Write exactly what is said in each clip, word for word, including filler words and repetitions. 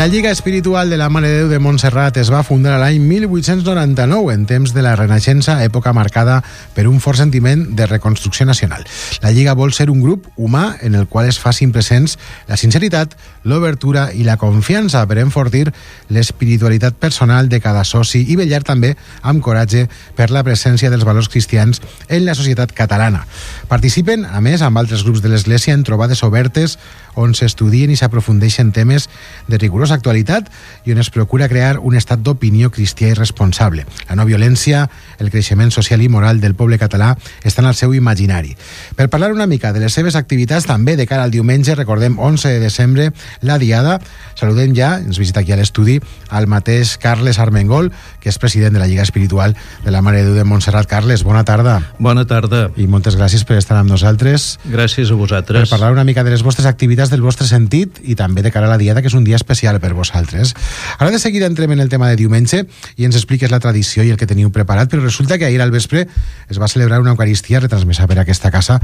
La Lliga Espiritual de la Mare de Déu de Montserrat es va fundar a l'any mil vuit-cents noranta-nou, en temps de la Renaixença, època marcada per un fort sentiment de reconstrucció nacional. La Lliga vol ser un grup humà en el qual es facin presents la sinceritat, l'obertura i la confiança per enfortir l'espiritualitat personal de cada soci i vetllar també amb coratge per la presència dels valors cristians en la societat catalana. Participen, a més, amb altres grups de l'Església en trobades obertes on s'estudien i s'aprofundeixen temes de rigorosa actualitat i on es procura crear un estat d'opinió cristià i responsable. La no violència, el creixement social i moral del poble català estan al seu imaginari. Per parlar una mica de les seves activitats, també de cara al diumenge, recordem, onze de desembre, la Diada, saludem ja, ens visita aquí a l'estudi, al mateix Carles Armengol, que és president de la Lliga Espiritual de la Mare de Déu de Montserrat. Carles, bona tarda. Bona tarda. I moltes gràcies per estar amb nosaltres. Gràcies a vosaltres. Per parlar una mica de les vostres activitats, del vostre sentit i també de cara a la Diada, que és un dia especial per vosaltres. Ara de seguida entrem en el tema de diumenge i ens expliques la tradició i el que teniu preparat, però resulta que ahir al vespre es va celebrar una Eucaristia retransmesa per aquesta casa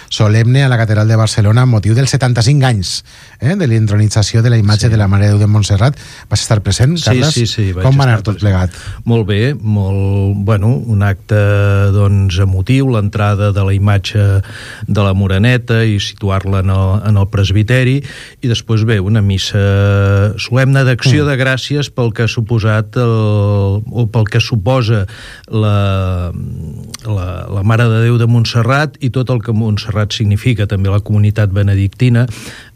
solemne a la Catedral de Barcelona amb motiu dels setanta-cinc anys eh, de l'intronització de la imatge sí. de la Mare de Déu de Montserrat. Vas estar present, Carles? Sí, sí, sí. Com va anar tot plegat? Molt bé, molt, bueno, un acte doncs, emotiu, l'entrada de la imatge de la Moreneta i situar-la en, el, en el presbiteri, i després bé, una missa solemne d'acció mm. de gràcies pel que ha suposat el, o pel que suposa la, la, la Mare de Déu de Montserrat i tot el que Montserrat significa, també la comunitat benedictina.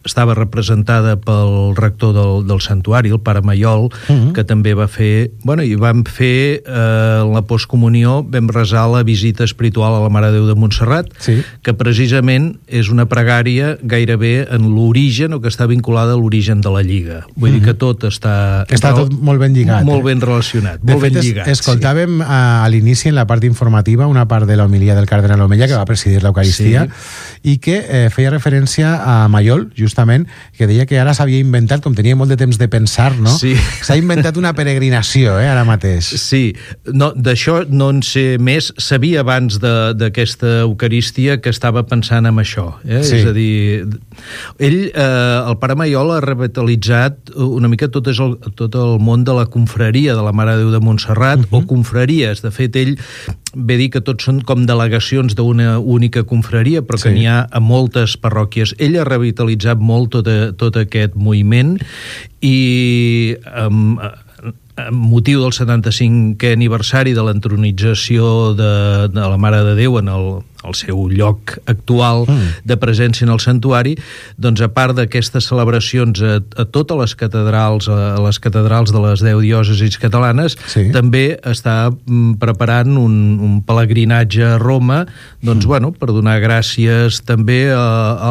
Estava representada pel rector del, del santuari, el pare Maiol, uh-huh. que també va fer, bueno, i vam fer eh, la postcomunió, vam resar la visita espiritual a la Mare de Déu de Montserrat, sí. que precisament és una pregària gairebé en l'origen, o que està vinculada a l'origen de la Lliga. Vull uh-huh. dir que tot està... Que està tot molt ben lligat. Molt ben relacionat, de molt fet, ben lligat. Es, escoltàvem sí. a, a l'inici, en la part informativa, una part de l'homilia del cardenal Omella, que va presidir l'Eucaristia, sí. i que eh, feia referència a Maiol, just justament, que deia que ara s'havia inventat, com tenia molt de temps de pensar, no? Sí. S'ha inventat una peregrinació, eh, ara mateix. Sí, no, d'això no en sé més. Sabia abans d'aquesta Eucaristia que estava pensant en això. Eh? Sí. És a dir, ell, eh, el pare Maiol, ha revitalitzat una mica tot, és el, tot el món de la confraria de la Mare de Déu de Montserrat, uh-huh. o confraries. De fet, ell ve dir que tots són com delegacions d'una única confraria, però que sí. n'hi ha a moltes parròquies. Ell ha revitalitzat molt tot, a, tot aquest moviment i amb, amb motiu del setanta-cinquè aniversari de l'entronització de, de la Mare de Déu en el, el seu lloc actual mm. de presència en el santuari, doncs a part d'aquestes celebracions a, a totes les catedrals, a les catedrals de les deu diòcesis catalanes, sí. també està mm, preparant un, un pelegrinatge a Roma, doncs, mm. bueno, per donar gràcies també a,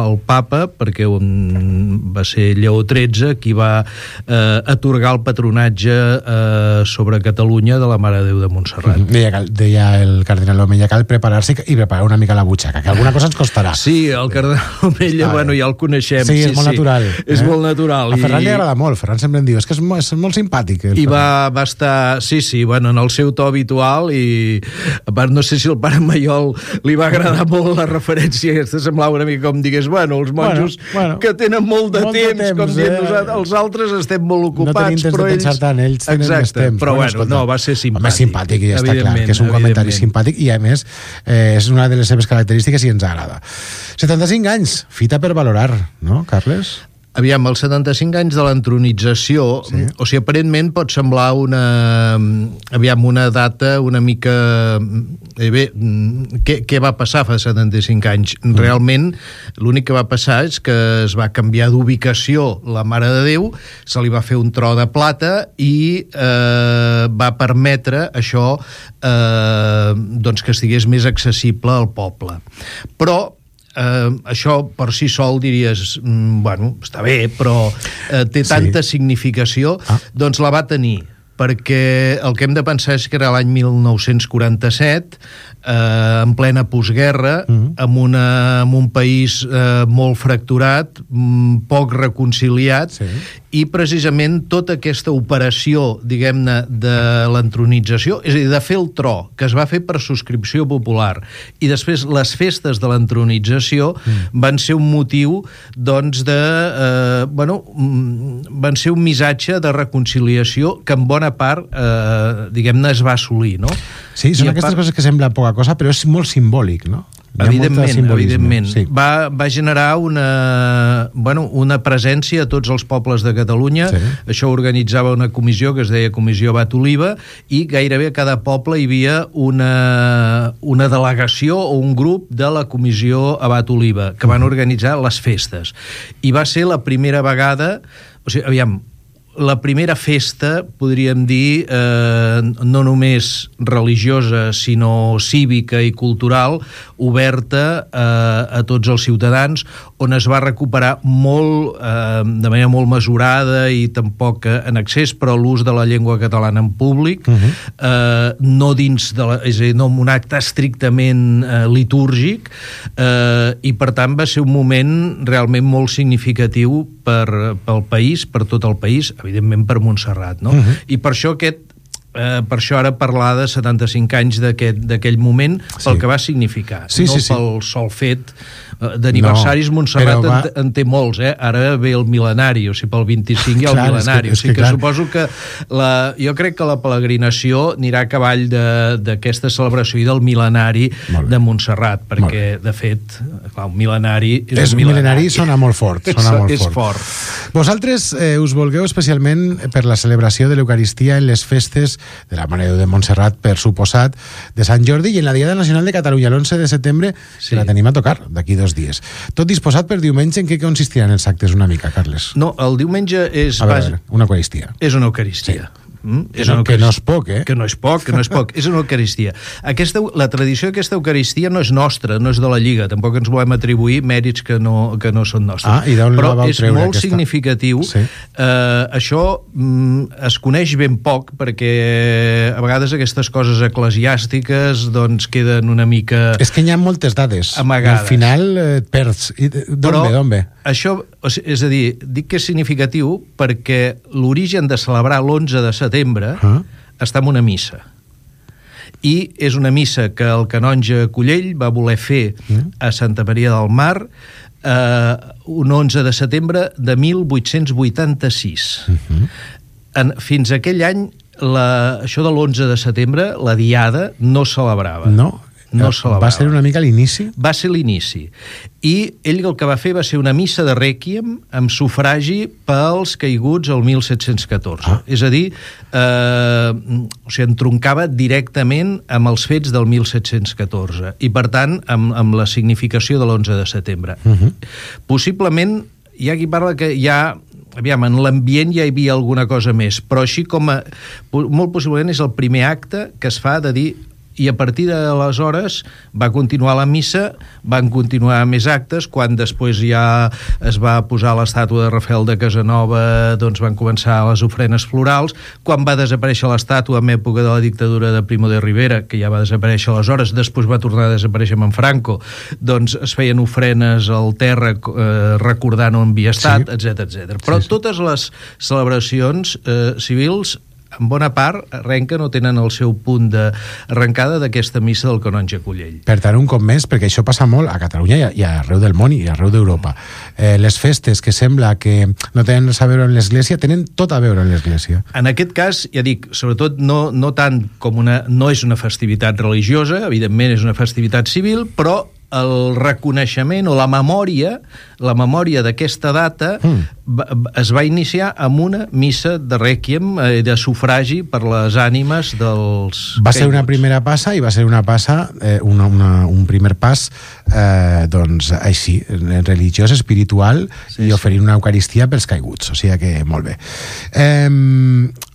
al papa, perquè un, va ser Lleó tretze qui va eh, atorgar el patronatge eh, sobre Catalunya de la Mare de Déu de Montserrat. Mm. Deia, deia el cardenal Omella, cal preparar-se i preparar una mica la butxaca, que alguna cosa ens costarà. Sí, el cardenal Omella, bueno, ja el coneixem. Sí, és sí, molt sí. natural. És eh? molt natural. A Ferran i... li agrada molt, Ferran sempre em diu, és que és molt, és molt simpàtic. I va, va estar, sí, sí, bueno, en el seu to habitual, i a part, no sé si el pare Maiol li va agradar molt la referència, aquesta semblava una mica com digués, bueno, els monjos bueno, bueno, que tenen molt de, molt temps, de temps, com dient eh? nosaltres, els altres estem molt ocupats, no tenim temps però de ells... pensar tant, ells tenen Exacte, més temps. Però bueno, bueno no, va ser simpàtic. Home, simpàtic, i ja està clar, que és un comentari simpàtic, i a més, eh, és una de les seves característiques i ens agrada. setanta-cinc anys, fita per valorar, no, Carles? Aviam, els setanta-cinc anys de l'entronització, sí. o sigui, aparentment pot semblar una, aviam, una data una mica... Eh, bé, què, què va passar fa setanta-cinc anys? Mm. Realment, l'únic que va passar és que es va canviar d'ubicació la Mare de Déu, se li va fer un tro de plata i eh, va permetre això eh, doncs que estigués més accessible al poble. Però Uh, això per si sol diries mm, bueno, està bé, però uh, té tanta sí. significació, ah. doncs la va tenir perquè el que hem de pensar és que era l'any mil nou-cents quaranta-set, eh, en plena postguerra, uh-huh. amb, una, amb un país eh, molt fracturat, poc reconciliat, sí. i precisament tota aquesta operació, diguem-ne, de l'entronització, és a dir, de fer el tro, que es va fer per subscripció popular, i després les festes de l'entronització mm. van ser un motiu, doncs, de... Eh, bueno, van ser un missatge de reconciliació que en bona part, eh, diguem-ne, es va assolir, no? Sí, són I aquestes part... coses que sembla poca cosa, però és molt simbòlic, no? Evidentment, evidentment. Sí. Va, va generar una, bueno, una presència a tots els pobles de Catalunya. Sí. Això organitzava una comissió que es deia Comissió Abat Oliva, i gairebé a cada poble hi havia una, una delegació o un grup de la Comissió Abat Oliva que van organitzar les festes. I va ser la primera vegada, o sigui, aviam, la primera festa, podríem dir, eh, no només religiosa, sinó cívica i cultural, oberta eh, a tots els ciutadans, on es va recuperar molt, eh, de manera molt mesurada i tampoc en excés, però l'ús de la llengua catalana en públic, uh-huh. eh, no dins de la, és a dir, no en un acte estrictament eh, litúrgic, eh, i per tant va ser un moment realment molt significatiu per, pel país, per tot el país, evidentment per Montserrat, no? Uh-huh. I per això aquest, eh, per això ara parlar de setanta-cinc anys d'aquell moment, sí. pel que va significar, sí, no sí, sí. pel sol fet d'aniversaris. No, Montserrat va... en, en té molts, eh? Ara ve el mil·lenari, o sigui, pel vint-i-cinc hi ha el clar, mil·lenari, que, o sigui que, que suposo que la, jo crec que la peregrinació anirà a cavall d'aquesta celebració i del mil·lenari de Montserrat, perquè de fet clar, un mil·lenari és, és un mil·lenari, sona molt fort, sona molt és fort. fort. Vosaltres eh, us volgueu especialment per la celebració de l'Eucaristia en les festes de la Mare de Déu de Montserrat, per suposat, de Sant Jordi, i en la Diada Nacional de Catalunya l'onze de setembre, sí. que la tenim a tocar d'aquí dos dies. Tot disposat per diumenge. En què consistiran els actes una mica, Carles? No, el diumenge és... A veure, una eucaristia. És una eucaristia. Sí. Mm? És no, que no és poc, eh? Que no és poc, que no és poc. És una eucaristia. Aquesta, la tradició d'aquesta eucaristia no és nostra, no és de la Lliga. Tampoc ens volem atribuir mèrits que no, que no són nostres. Ah, i d'on la vau treure, però és molt aquesta? significatiu. Sí. Uh, això mm, es coneix ben poc, perquè a vegades aquestes coses eclesiàstiques doncs queden una mica... És que hi ha moltes dades. Amagades. Al final eh, et perds. D'on ve, d'on ve? Això, és a dir, dic que és significatiu perquè l'origen de celebrar l'onze de setembre uh-huh. està en una missa. I és una missa que el canonge Collell va voler fer uh-huh. a Santa Maria del Mar eh, un onze de setembre de mil vuit-cents vuitanta-sis. Uh-huh. En, fins a aquell any, la, això de l'onze de setembre, la diada, no celebrava. No? No va ser una mica l'inici? Va ser l'inici. I ell el que va fer va ser una missa de rèquiem amb sufragi pels caiguts el mil set-cents catorze. Ah. És a dir, eh, o sigui, entroncava directament amb els fets del mil set-cents catorze i, per tant, amb, amb la significació de l'onze de setembre. Uh-huh. Possiblement, hi ha qui parla que hi ha... Aviam, en l'ambient ja hi havia alguna cosa més, però així com a... Molt possiblement és el primer acte que es fa de dir... I a partir d'aleshores va continuar la missa, van continuar més actes, quan després ja es va posar l'estàtua de Rafael de Casanova, doncs van començar les ofrenes florals. Quan va desaparèixer l'estàtua en època de la dictadura de Primo de Rivera, que ja va desaparèixer aleshores, després va tornar a desaparèixer amb en Franco, doncs es feien ofrenes al terra eh, recordant on havia estat, sí. etcètera, etcètera. Però sí, sí. totes les celebracions eh, civils en bona part, arrenquen o tenen el seu punt d'arrencada d'aquesta missa del canonge Collell. Per tant, un cop més, perquè això passa molt a Catalunya i, a, i arreu del món i arreu d'Europa. Eh, les festes que sembla que no tenen res a veure amb l'Església, tenen tot a veure amb l'Església. En aquest cas, ja dic, sobretot no, no tant com una... No és una festivitat religiosa, evidentment és una festivitat civil, però el reconeixement o la memòria, la memòria d'aquesta data mm. va, es va iniciar amb una missa de rèquiem, eh, de sufragi per les ànimes dels... Va ser una primera passa i va ser una passa, eh, una, una, un primer pas, eh, doncs així, religiós, espiritual, sí, i oferir sí. una eucaristia pels caiguts, o sigui que molt bé. Eh,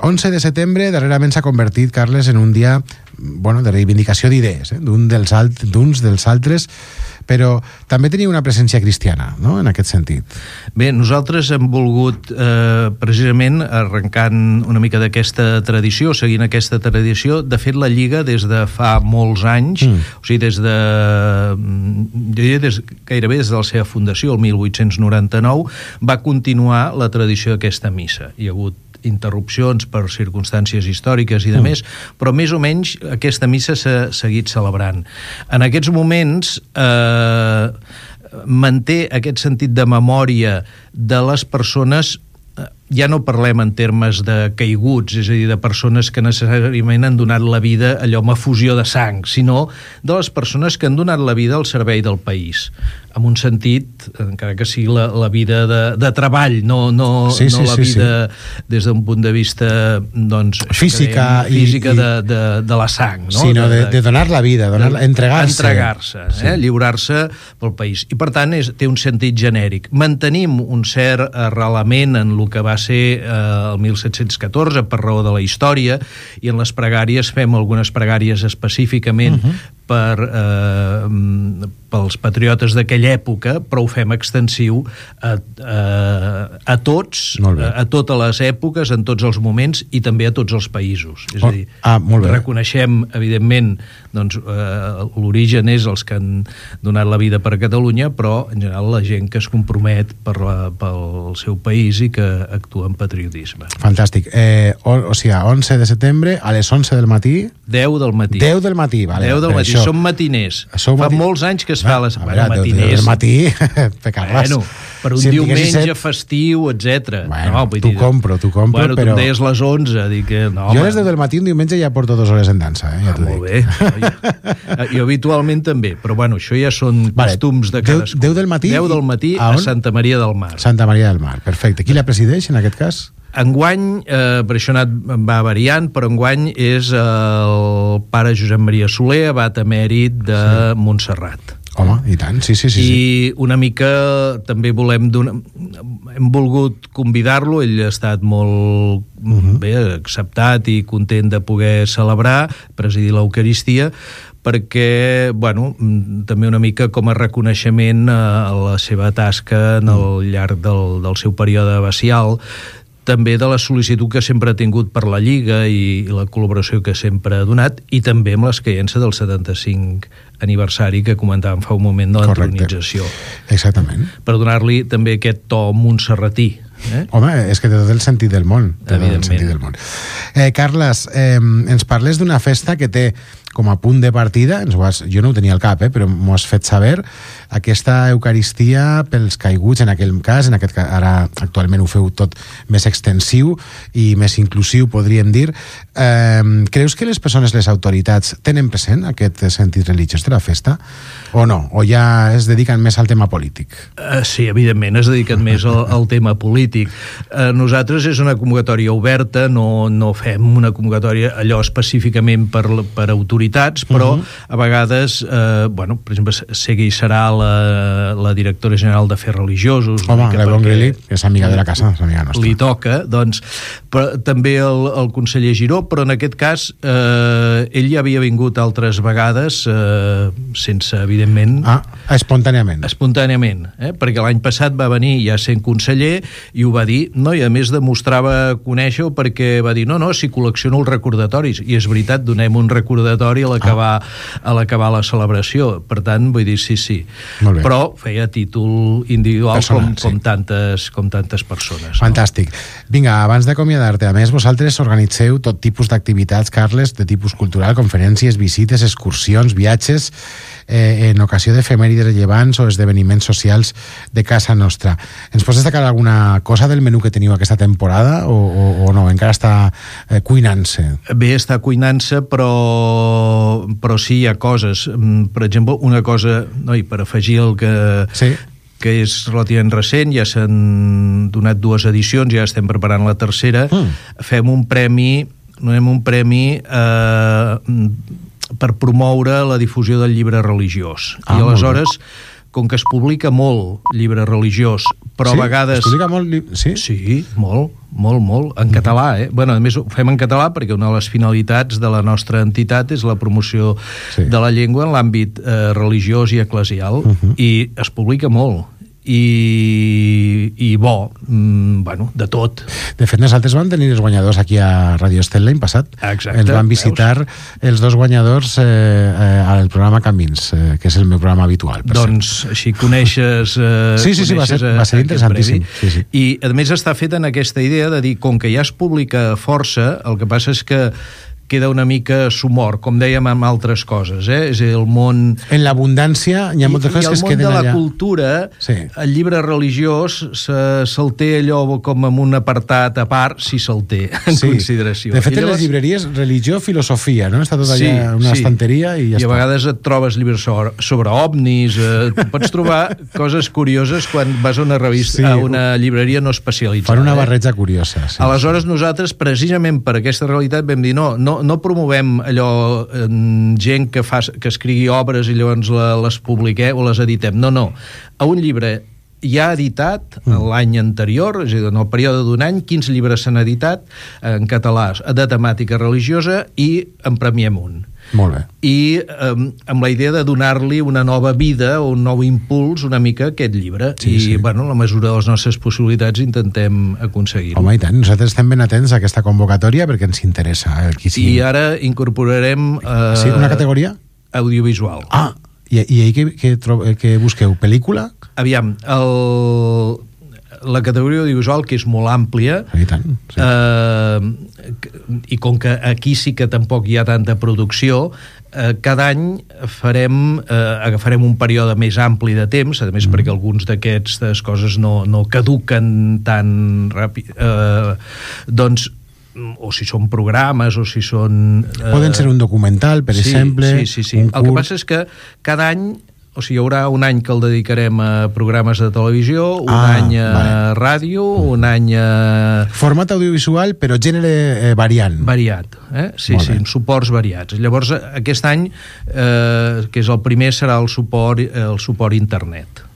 onze de setembre, darrerament s'ha convertit, Carles, en un dia bueno, de reivindicació d'idees, eh? d'un dels alt, d'uns dels altres, però també tenia una presència cristiana, no?, en aquest sentit. Bé, nosaltres hem volgut eh, precisament, arrencant una mica d'aquesta tradició, seguint aquesta tradició, de fet la Lliga des de fa molts anys, mm. o sigui, des de diria des, gairebé des de la seva fundació, el mil vuit-cents noranta-nou, va continuar la tradició d'aquesta missa. Hi ha hagut interrupcions per circumstàncies històriques i de mm. més, però més o menys aquesta missa s'ha seguit celebrant. En aquests moments eh, manté aquest sentit de memòria de les persones. Ja no parlem en termes de caiguts, és a dir, de persones que necessàriament han donat la vida allò amb efusió de sang, sinó de les persones que han donat la vida al servei del país, amb un sentit, encara que sigui la, la vida de, de treball, no, no, sí, sí, no la sí, vida sí. des d'un punt de vista doncs, física, creiem, física i, de, de, de la sang, no? Sinó de, de, de donar la vida, donar, de, entregar-se. Entregar-se, eh? Sí. Lliurar-se pel país. I per tant és, té un sentit genèric. Mantenim un cert arrelament en el que va ser eh, el mil set-cents catorze per raó de la història, i en les pregàries fem algunes pregàries específicament uh-huh. per, eh, pels patriotes d'aquella època, però ho fem extensiu a, a, a tots, a, a totes les èpoques, en tots els moments i també a tots els països. És a dir, ah, reconeixem, evidentment, doncs, eh, l'origen és els que han donat la vida per Catalunya, però en general la gent que es compromet per la, pel seu país i que actua en patriotisme. Fantàstic. Eh, o, o sigui, onze de setembre a les onze del matí? deu del matí. deu del matí, vale. deu del matí. Això. Som matiners. Som Fa mati... molts anys que es fa les... A veure, bueno, deu del matí, pecar-les. Bueno, per un si diumenge set... festiu, etcètera. Bueno, no, t'ho compro, t'ho compro, bueno, però... tu em deies les onze, dic que... No, jo a les deu del matí un diumenge ja porto dues hores en dansa, eh? Ja ah, molt bé. Jo, jo habitualment també, però bueno, això ja són vale. Costums de cadascú. deu del matí? deu del matí a, a Santa Maria del Mar. Santa Maria del Mar, perfecte. Qui la presideix en aquest cas? Enguany, eh, per això anat, va variant, però enguany és el pare Josep Maria Soler, abat emèrit de sí. Montserrat. Home, i tant, sí, sí, sí. I una mica també volem donar... Hem volgut convidar-lo, ell ha estat molt uh-huh. bé acceptat i content de poder celebrar, presidir l'Eucaristia, perquè, bueno, també una mica com a reconeixement a la seva tasca en el llarg del, del seu període abacial, també de la sol·licitud que sempre ha tingut per la Lliga i, i la col·laboració que sempre ha donat, i també amb l'esqueiença del setanta-cinc aniversari que comentàvem fa un moment de l'entronització. Exactament. Per donar-li també aquest to montserratí. Eh? Home, és que té tot el sentit del món. Té tot el sentit del món. Eh, Carles, eh, ens parles d'una festa que té com a punt de partida, ens ho has, jo no ho tenia al cap, eh, però m'ho has fet saber, aquesta Eucaristia pels caiguts, en aquell cas, en aquest cas, ara actualment ho feu tot més extensiu i més inclusiu, podríem dir. Eh, creus que les persones, les autoritats, tenen present aquest sentit religiós de la festa? O no? O ja es dediquen més al tema polític? Uh, sí, evidentment, es dediquen més al, al tema polític. Uh, nosaltres és una convocatòria oberta, no, no fem una convocatòria allò específicament per, per autoritats, però uh-huh. a vegades, eh, bueno, per exemple, sé que hi serà la, la directora general d'Afers Religiosos. Home, la Bon Grilli, que és amiga de la casa, és amiga nostra. Li toca, doncs, però, també el, el conseller Giró, però en aquest cas eh, ell ja havia vingut altres vegades eh, sense, evidentment... Ah, espontàniament. Espontàniament, eh? Perquè l'any passat va venir ja sent conseller i ho va dir, no, i a més demostrava conèixer-ho perquè va dir, no, no, si col·lecciono els recordatoris, i és veritat, donem un recordatori a l'acabar ah. a l'acabar la celebració, per tant, vull dir, sí, sí, però feia títol individual Personal, com, sí. com, tantes, com tantes persones. Fantàstic. No? Vinga, abans d'acomiadar-te, a més, vosaltres organitzeu tot tipus d'activitats, Carles, de tipus cultural, conferències, visites, excursions, viatges, eh, en ocasió d'efemèrides rellevants o esdeveniments socials de casa nostra. Ens pots destacar alguna cosa del menú que teniu aquesta temporada o, o, o no? Encara està eh, cuinant-se? Bé, està cuinant-se, però, però sí hi ha coses. Per exemple, una cosa, no, i per afegir el que... Sí. que és relativament recent, ja s'han donat dues edicions, ja estem preparant la tercera, mm. fem un premi, donem un premi eh, per promoure la difusió del llibre religiós. Ah, I aleshores, com que es publica molt llibre religiós, però sí? a vegades... Es publica molt... Sí? Sí, molt, molt, molt, en català, eh? Bueno, a més ho fem en català perquè una de les finalitats de la nostra entitat és la promoció sí. de la llengua en l'àmbit eh, religiós i eclesial, uh -huh. i es publica molt. I, i bo, mm, bueno, de tot. De fet, nosaltres vam tenir els guanyadors aquí a Radio Estel l'any passat. Exacte, ens van visitar veus? Els dos guanyadors eh, eh, al programa Camins, eh, que és el meu programa habitual. Doncs ser. així coneixes... Eh, sí, sí, sí, va ser, va ser interessantíssim. Sí, sí. I, a més, està fet en aquesta idea de dir, com que ja es publica força, el que passa és que queda una mica sumor, com dèiem amb altres coses, eh? És a dir, el món... En l'abundància hi ha moltes coses que es queden allà. I el món de la cultura, sí. el llibre religiós se, se'l té allò com en un apartat a part, si se'l té en sí. consideració. De fet, llavors... en les llibreries, religió, filosofia, no? Està tot allà en sí, una sí. estanteria i ja I està. a vegades et trobes llibres sobre, sobre ovnis, eh, pots trobar coses curioses quan vas a una revista, sí. a una llibreria no especialitzada. Fan una barreja eh? curiosa. Sí. Aleshores, nosaltres, precisament per aquesta realitat, vam dir, no, no no promovem allò eh, gent que, fa, que escrigui obres i llavors la, les publiquem o les editem. No, no. A un llibre ja editat mm. l'any anterior, és a dir, en el període d'un any, quins llibres s'han editat en català de temàtica religiosa i en premiem un. Molt bé. I eh, amb la idea de donar-li una nova vida o un nou impuls una mica a aquest llibre. Sí, I, sí. bueno, en la mesura de les nostres possibilitats intentem aconseguir-ho. Home, i tant. Nosaltres estem ben atents a aquesta convocatòria perquè ens interessa. Eh, qui sigui. I ara incorporarem... Eh, sí, una categoria? Audiovisual. Ah, i, i ahir què, què, què busqueu? Pel·lícula? Aviam, el... la categoria audiovisual, que és molt àmplia, i tant, sí. eh, i com que aquí sí que tampoc hi ha tanta producció, eh, cada any farem, eh, agafarem un període més ampli de temps, a més mm. perquè alguns d'aquestes coses no, no caduquen tan ràpid, eh, doncs o si són programes o si són... Eh... Poden ser un documental, per sí, exemple, sí, sí, sí. un curt... El que passa és que cada any, o sigui, hi haurà un any que el dedicarem a programes de televisió, un ah, any a vale. ràdio, un any a... Format audiovisual, però gènere eh, variant. Variat, eh? Sí, Molt sí, bé. Suports variats. Llavors, aquest any, eh, que és el primer, serà el suport, el suport internet.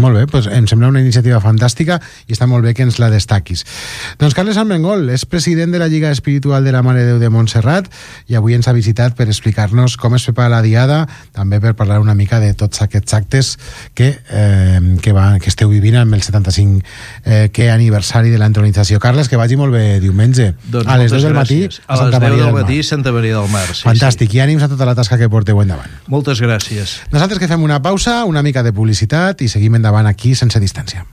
Molt bé, doncs em sembla una iniciativa fantàstica i està molt bé que ens la destaquis. Doncs Carles Armengol és president de la Lliga Espiritual de la Mare de Déu de Montserrat i avui ens ha visitat per explicar-nos com es prepara la diada, també per parlar una mica de tots aquests actes que, eh, que, va, que esteu vivint amb el setanta-cinc eh, que aniversari de l'entronització. Carles, que vagi molt bé diumenge. Doncs a les dues del matí a les deu del matí Santa Maria del Mar. Sí, Fantàstic, sí. I ànims a tota la tasca que porteu endavant. Moltes gràcies. Nosaltres que fem una pausa, una mica de publicitat i seguim endavant aquí sense distància.